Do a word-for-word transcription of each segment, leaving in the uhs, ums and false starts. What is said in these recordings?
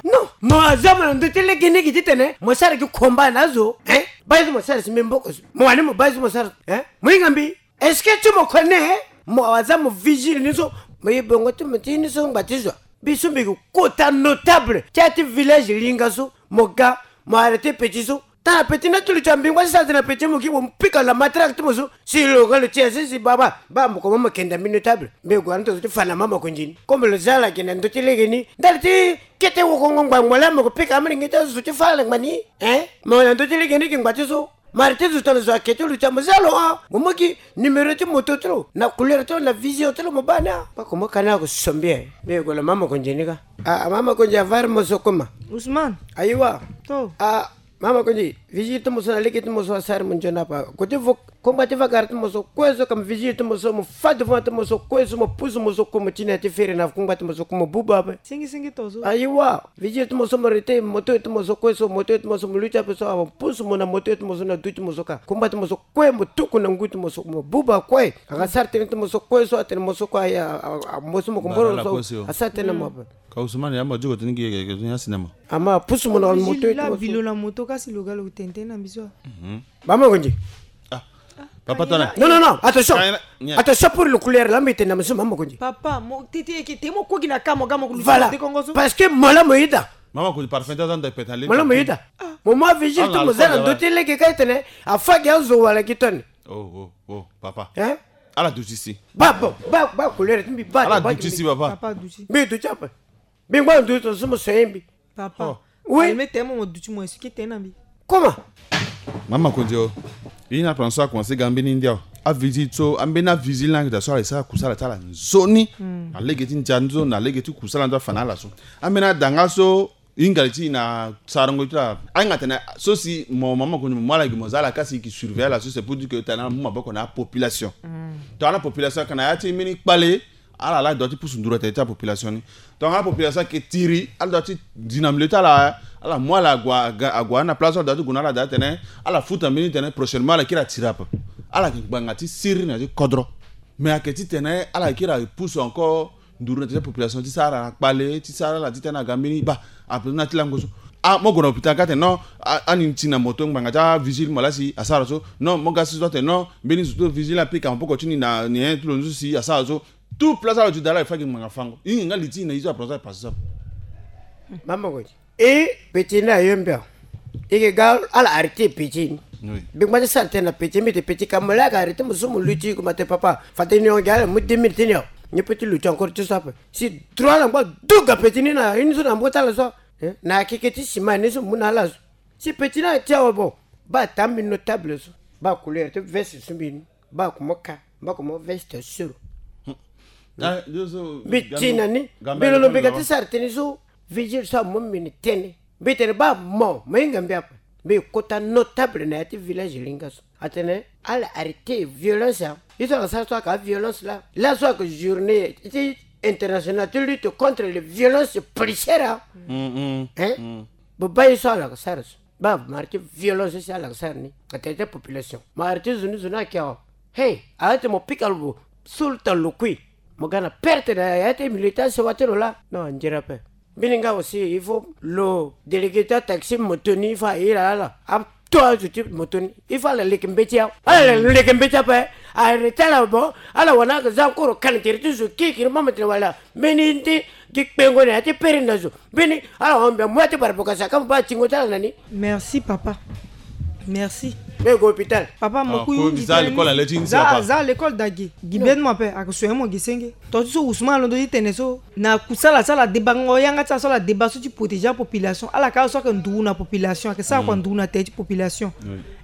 Non, mo aza mo na ndö ti lege ni gi titene mo sara gi combat na azo, hein? Baa ye so mo sara si mbi maboko so. Mo wani mo baa ye so mo sara, hein? Mo hinga mbi. Est-ce que ti mo connais, hein? Mo aza mo vigile ni so. Mo ye bongo ti mo ti ni so ngba ti zo. Mbi so mbi gi kota notable ti ya ti village linga so. Mo ga, mo arrêter petit so. Tara petit na ti lo ti ambingo ti sara tënë na petit mo gi mo pika la matraque ti mo so. Si lo ga lo ti ya si si baba. Baa mo komo mo kenda mbi notable. Mbi gue na ndo so ti fa na mama konzi ni. Comme lo za ala gi na ndö ti lege ni. Ndali ti kete wokongo ngbangbo laa mo ko pika amolenge ti azo so ti fa ala ngba ni. Hein? Mo na ndö ti lege ni gi ngba ti so. Mari ti zo tongana zo ayeke ti lo ti ya mo za lo, ah, mo mu gi numéro ti moto ti lo na couleur ti lo na vision ti lo mo baa ni, ah. Baa komo ka ni ako so mbi e. Mbi gue lo mama konzi ni ka. Ah, mama konzi avari mo so koma. Ousmane. Ayiwa. To. Ah, mama konzi, vigile ti mo so na lege ti mo so asara mo nzoni apa. Ko ti vo, kongba ti va gare ti mo so kue so ka mo vigile ti mo so mo fa devant ti mo so kue so mo pusu mo so kue mo ti na ya ti fere na kongba ti mo so kue mo buba ape. Singi singi to so. Ayiwa. Vigile ti mo so mo arrêter moto ti mo so kue so, moto ti mo so mo luti ape so, apusu mo na moto ti mo so na du ti mo so ka. Kongba ti mo so kue mo tuku na ngu ti mo so mo buba kue. Aka sara tënë ti mo so kue so atene mo so kue aya, a, a, a, mo so mo ko mboro so asara tënë na mo ape. Ka Ousmane ya mo diko tënë gi yeke tënë ya sinema. Ama apusu mo na moto ti mo so. Bilo na moto kasi lo ga lo tene tënë na mbi so. Baa mo konzi. Ah. Papa tana. Non, non, non, attention. Attention pour le couleur là, mbi tene na mo so mama konzi. Papa, mo tete eke te mo kogi na ka mo ga mo ko luti. Voilà. Parce que mo la mo yeda. Mama konzi parfum ta zanda peta le. Mo la mo yeda. Mo ma vigile ti mo za na ndö ti lege ka tene afa gi azo wala gi toni. Oh, oh, oh, papa. Hein? Ala duti si. Baa, baa, baa, baa couleur ti mbi baa. Ala duti si, papa. Papa duti. Mbi duti ape. Mbi ngba ndu to so mo so ye mbi. Papa. Oh. Oui. Alme temo mo duti mo expliquer tënë na mbi. Comment? Mama konzi o. Ye ni apranso akomanse ga mbeni ndia o. Avigile so, ambeni avigile ni ayeke daa so ala sara kusala ti ala nzoni. Na lege ti ndia ni so, na lege ti kusala ni so afa na ala so. Ambeni ada nga so, hinga li ti na sarango ti ala. Ahinga tene so si mo mama konzi mo mu ala gi mo za ala kasi e yeke surveiller ala so, c'est pour dire que tene ala mu maboko na apopulation. Tongana apopulation ayeke na ya ti mbeni kpale, ala la doit ti pusu nduru na tere ti apopulation ni. Tongana apopulation ayeke tiri, ala doit ti zi na milieu ti ala, ala mu ala ague, ague na place so ala doit ti gue na ala daa tene ala futa mbeni tene prochainement ala kiri atiri ape. Ala yeke ngbanga ti siriri na ya ti kodro. Mais ayeke titene ala kiri apusu encore nduru na tere ti apopulation ti sara ala na kpale, ti sara ala titene aga mbeni baa. Ape na ti lango so. Ah, mo gue na hôpital ka tene non, ah, ani ti na moto ngbanga ti avigile mo la si asara so. Non, mo ga si so atene non, mbeni zo ti vigile apika maboko ti ni na nyen ti lo ni so si asara so. Tout place ala ti dala e fa gi ngbanga fango. Hinga nga li ti na ye so apranso e passe so. Mama konzi. E petit ni ayo mbi awe. E yeke ga ala arrêter petit ni. Oui. Mbi ngba ti sara tënë na petit, mbi tene petit ka mo la ayeke arrêter mo so mo luti, comment tene papa, fade ni hon gi ala mu deux mille ti ni awe. Ni peut ti luti encore ti so ape. Si droit ala ngba duga petit ni na ye ni so na maboko ti ala so. Eh? Na akeke ti sima ni so mo mu na ala so. Si petit ni ati awe bon. Baa taa mbi notable so. Baa couleur ti veste so mbi ni. Baa komo ka. Mba komo veste suru. Mbi ti na ni. Mbi londo mbi ga ti sara tënë so. Vigile so amu mbi ni tënë. Mbi tene baa mo, mo hinga mbi ape. Mbi kota notable na ya ti village linga so. Atene ala arrêter violence, ah. Ye so ala sara so ayeke aviolence laa. Laso ayeke journée ti internationale ti lutte contre les violences policières, ah. Hein? Bo baa ye so ala yeke sara so. Baa mo arrêter violence so si ala yeke sara ni na tere ti population. Mo arrêter zo ni, zo ni ayeke awe. Hey, arrêter mo pika lo, sulu ta lo kui. Mo ga na perte na ya ti milieu ti asewa ti lo laa. Non, anzere ape. Mbeni nga aussi, il faut lo délégué ti ataxi moto ni, il faut airi ala ato azo ti moto ni. Il faut ala leke mbeti awe. Ala leke mbeti ape. Arrêter ala bon. Ala wani aga za encore qualité ti zo kirikiri, mama tene wala. Mbeni ti gi kpengo na ya ti pere na zo. Mbeni ala hon mbi amu ya ti barabokasa ka mo baa tingo ti ala na ni. Merci papa. Merci. Mbi gue hôpital. Papa, mo ku hunzi tënë ni. Za l'école daa gi. Gi beni mo ape, ayeke soigner mo gi senge. To ti so Ousmane alondo ti tene so, na kusala ti ala debango yanga ti ala so ala deba so ti protéger apopulation. Ala ka so ayeke nduru na population, ayeke sara kua nduru na tere ti population.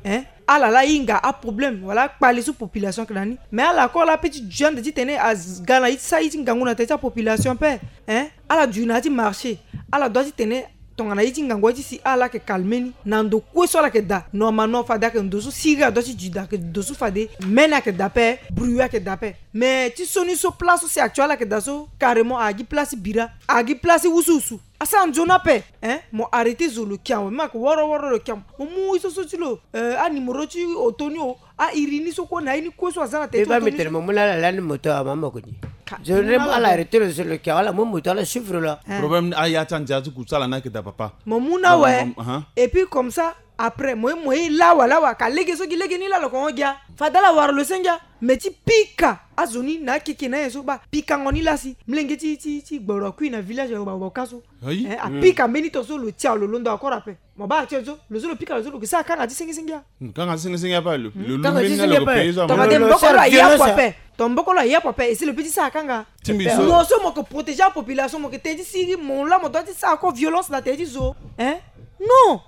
Hein? Ala la hinga aproblème wala akpale so population ayeke na ni. Mais ala encore la ape ti du ande titene aga na ye ti sara ye ti ngangu na tere ti apopulation ape. Hein? Ala du na ya ti marché. Ala doit titene tongana ye ti ngangu ye ti si ala yeke calmer ni na ndo kue so ala yeke daa. Normalement fade ayeke ndo so siriri adoit ti du daa, ayeke ndo so fade mene ayeke daa ape, bruit ayeke daa ape. Mais ti so ni so place so si actuel ala yeke daa so carrément ayeke gi place ti bira, ayeke gi place ti wusuwusu. Asara nzoni ape. Hein, mo arrêter zo lo kia mo, même ake woro woro lo kia mo. Mo mu ye so so ti lo, euh, anuméro ti auto ni o, airi ni so kue na ye ni kue so aza na tene ti auto ni so. Mo mu na ala lani moto, amama koni. Zo ni ala arrêter lo, zo lo kia, ala mu moto, ala suivre lo. Hein. Problème ni aya ti andia ti kusala ni ayeke daa, papa. Mo mu na awe. Et puis comme ça, après, mo ye, mo ye lawa lawa, ka lege so gi lege ni laa lo ko hon gia. Fade ala wara lo senge. Mais ti pika azo ni na akeke na aye so, baa pikango ni laa si. Molenge ti, ti, ti gboro akui na village ayo, baa, baa ka so. Ayi. Hein, apika mbeni to so lo tia lo londo encore ape. Mo baa ti so lo so lo pika lo so lo ke sara kanga ti senge senge a. Hmm, kanga ti senge senge ape lo. Hmm. Lo, lo, kanga ti senge ape. Tongana de mbokolo aye apo ape. Ton mbokolo aye apo ape, e si lo pe ti sara kanga. Ti mbi so. Mo so mo ke protéger apopulation, mo ke te ti sigi, mo laa mo doit ti sara encore violence na tere ti zo. Hein? Non.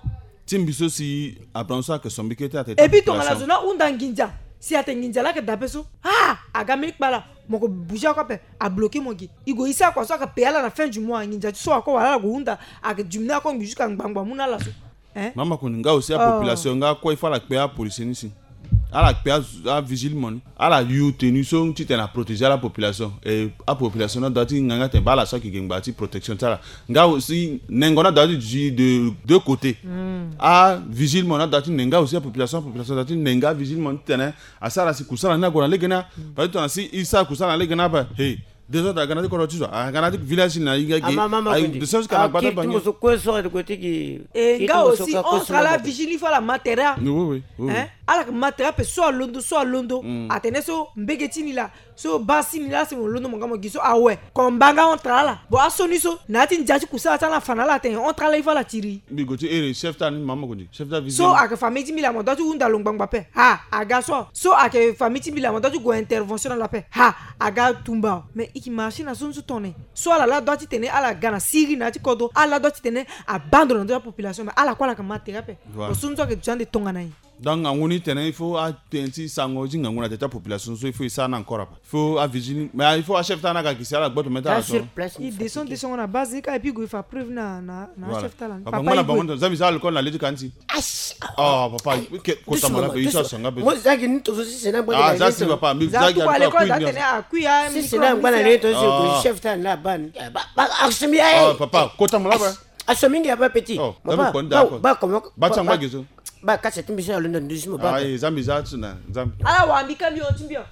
Ti mbi so si Abraham so ayeke sombi kete ate. Et puis tongana zo ni ahunda nginza, si ate nginza laa ayeke daa ape so, ah, aga mbeni kpala, mo ke bouger ako ape, abloquer mo gi. I gue i sara kua so ayeke payer ala na fin du mois, nginza ti so ako wala ala gue hunda, ayeke diminuer ako ngbi jusqu'à ngbangbo amu na ala so. Hein? Mama koni nga aussi apopulation nga kue il faut ala kpe apolicier ni si. Ala kpe a, avigile mo ni. Ala yu tenue so titene aprotéger ala population. Et apopulation ni adoit ti nga nga tene baa ala so ayeke gi ngba ti protection ti ala. Nga aussi nengo ni adoit ti duti de deux côtés. Hmm. Avigile mo ni adoit ti nenga aussi apopulation, apopulation adoit ti nenga avigile mo ni titene asara si kusala ni ague na lege ni a. Parce que tongana si i sara kusala na lege ni a, baa, hey, désordre aga na ti kodro ti zo, aga na ti village ni na i ga gi. Ayi, de sorte que na gbata bangi. E nga aussi entre ala vigile ni fo ala ma tere. Oui, oui, oui. Hein? Ala ke ma tere ape so alondo, so alondo. Hmm. Atene so mbege ti ni laa, so baa si ni laa, si mo londo mo nga mo gi so awe. Komba nga entre ala. Bon, aso ni so na ya ti ndia ti kusala ti ala afa na ala atene entre ala i fo ala tiri. Mbi gue ti ere chef ti ala ni, mama koni. Chef ti avigile. So ayeke famille ti mbi laa mo doit ti hunda lo ngbangbo ape. Ha, aga so. So ayeke famille ti mbi laa mo doit ti gue intervention na lo ape. Ha, aga tumba. Mais i ke marcher na so ni so tongana nyen? So ala laa doit titene ala ga na siriri na ya ti kodro, ala laa doit titene abando na ndö ti apopulation, mais ala kue ala yeke ma tere ape. Voilà. Bon, so ni so ayeke duti ande tongana nyen? Donc ngangu ni tene il faut atene ti sango ti ngangu na tere ti apopulation so il faut e sara ni encore ape. Il faut avigile ni, mais il faut achef ti ala ni aga gi si ala gboto mê ti ala so. I descend, descend na base ni kâ, et puis i gue fa preuve na, na, na achef ti ala ni. Papa, nga na bango ni, za mbi za alcool na le ti ka ni si. Oh papa, kota mo la be, i so asanga be. Mo za gi ni to so si sena ngba na le to so. Ah, za gi alcool na le to so, chef ti ala ni la bane. Ba, ba, action ya. Oh papa, kota mo la be. Action mingi ya ba petit. Oh, ba, ba, ba, comment, ba ti angba gi so. Ba kasa ti mbi so na londo nduzu mo ba. Ah, eh, za mbi za ti na, za mbi. Ala wa mbi ka mbi o ti mbi o.